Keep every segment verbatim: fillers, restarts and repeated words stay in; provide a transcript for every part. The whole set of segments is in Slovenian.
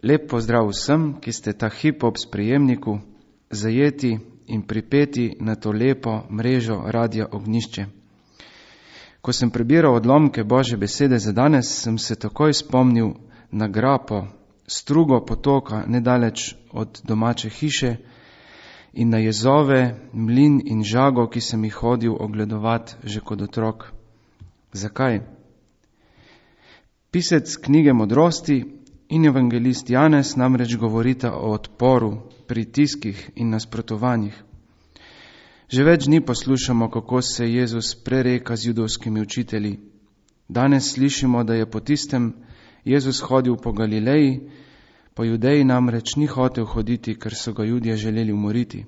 Lep pozdrav vsem, ki ste ta hip ob sprejemniku zajeti in pripeti na to lepo mrežo Radia Ognjišče. Ko sem prebiral odlomke Božje besede za danes, sem se takoj spomnil na grapo, strugo potoka nedaleč od domače hiše in na jezove, mlin in žago, ki sem jih hodil ogledovat že kot otrok. Zakaj? Pisec knjige Modrosti in evangelist Janez namreč govorita o odporu, pritiskih in nasprotovanjih. Že več dni poslušamo, kako se Jezus prereka z judovskimi učitelji. Danes slišimo, da je po tistem Jezus hodil po Galileji, po Judeji namreč ni hotel hoditi, ker so ga Judje želeli umoriti.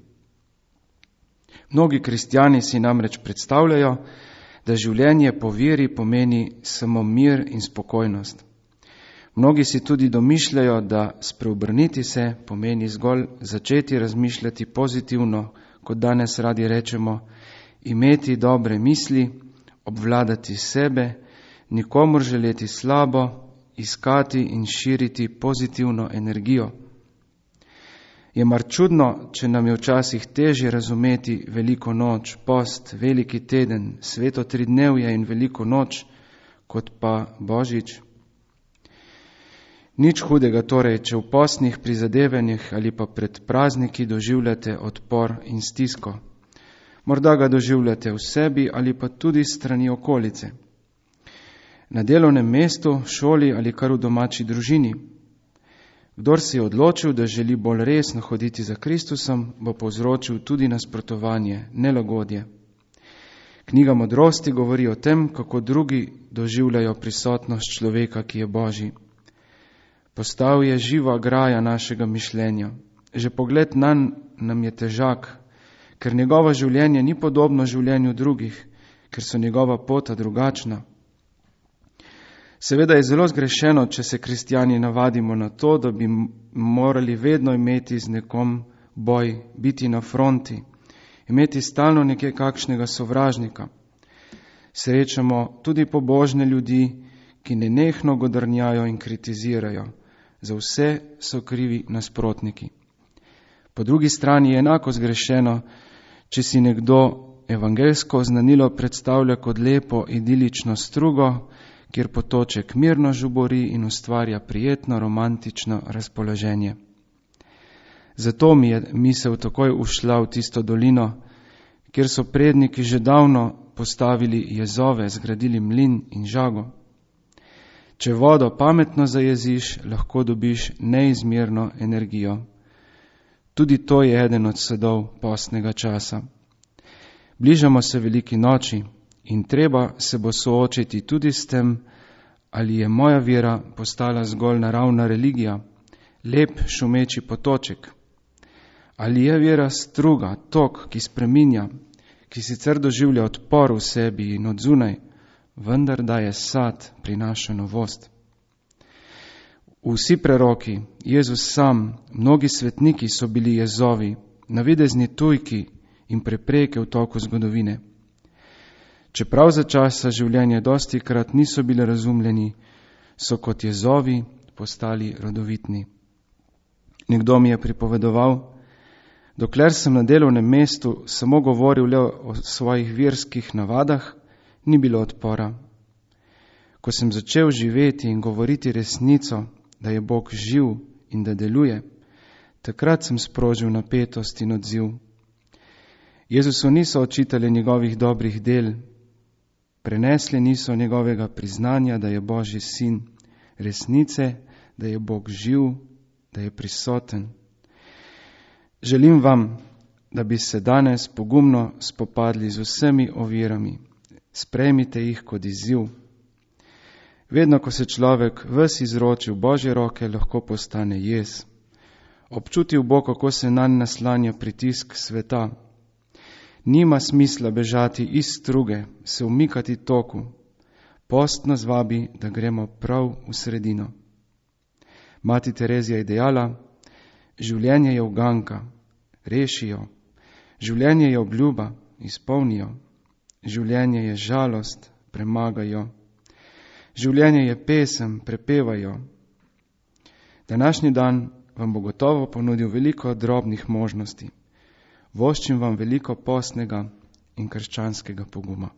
Mnogi kristjani si namreč predstavljajo, da življenje po veri pomeni samo mir in spokojnost. Mnogi si tudi domišljajo, da spreobrniti se pomeni zgolj začeti razmišljati pozitivno, kot danes radi rečemo, imeti dobre misli, obvladati sebe, nikomur želeti slabo, iskati in širiti pozitivno energijo. Je mar čudno, če nam je včasih težje razumeti veliko noč, post, veliki teden, sveto tridnevje in veliko noč, kot pa Božič? Nič hudega torej, če v postnih prizadevanjih ali pa pred prazniki doživljate odpor in stisko. Morda ga doživljate v sebi ali pa tudi strani okolice. Na delovnem mestu, šoli ali kar v domači družini. Kdor si je odločil, da želi bolj resno hoditi za Kristusom, bo povzročil tudi nasprotovanje, nelagodje. Knjiga Modrosti govori o tem, kako drugi doživljajo prisotnost človeka, ki je Božji. Postal je živa graja našega mišljenja. Že pogled nanj nam je težak, ker njegovo življenje ni podobno življenju drugih, ker so njegova pota drugačna. Seveda je zelo zgrešeno, če se kristjani navadimo na to, da bi morali vedno imeti z nekom boj, biti na fronti, imeti stalno nekaj kakšnega sovražnika. Srečamo tudi pobožne ljudi, ki nenehno godrnjajo in kritizirajo. Za vse so krivi nasprotniki. Po drugi strani je enako zgrešeno, če si nekdo evangelsko znanilo predstavlja kot lepo idilično strugo, kjer potoček mirno žubori in ustvarja prijetno romantično razpoloženje. Zato mi je misel takoj ušla v tisto dolino, kjer so predniki že davno postavili jezove, zgradili mlin in žago. Če vodo pametno zajeziš, lahko dobiš neizmerno energijo. Tudi to je eden od sadov postnega časa. Bližamo se veliki noči in treba se bo soočiti tudi s tem, ali je moja vera postala zgolj naravna religija, lep šumeči potoček. Ali je vera struga, tok, ki spreminja, ki sicer doživlja odpor v sebi in od zunaj, vendar daje sad, prinaša novost. Vsi preroki, Jezus sam, mnogi svetniki so bili jezovi, navidezni tujki in prepreke v toku zgodovine. Čeprav za časa življenja dostikrat niso bili razumljeni, so kot jezovi postali rodovitni. Nekdo mi je pripovedoval, dokler sem na delovnem mestu samo govoril le o svojih verskih navadah, ni bilo odpora. Ko sem začel živeti in govoriti resnico, da je Bog živ in da deluje, takrat sem sprožil napetost in odziv. Jezusu niso očitali njegovih dobrih del, prenesli niso njegovega priznanja, da je Božji sin, resnice, da je Bog živ, da je prisoten. Želim vam, da bi se danes pogumno spopadli z vsemi ovirami. Sprejmite jih kot izziv. Vedno, ko se človek ves izroči v Božje roke, lahko postane jez. Občutil bo, kako se nanj naslanja pritisk sveta. Nima smisla bežati iz struge, se umikati toku. Post nas vabi, da gremo prav v sredino. Mati Terezija je dejala, življenje je uganka, rešijo. Življenje je obljuba, izpolnijo. Življenje je žalost, premagajo. Življenje je pesem, prepevajo. Današnji dan vam bo gotovo ponudil veliko drobnih možnosti. Voščim vam veliko postnega in krščanskega poguma.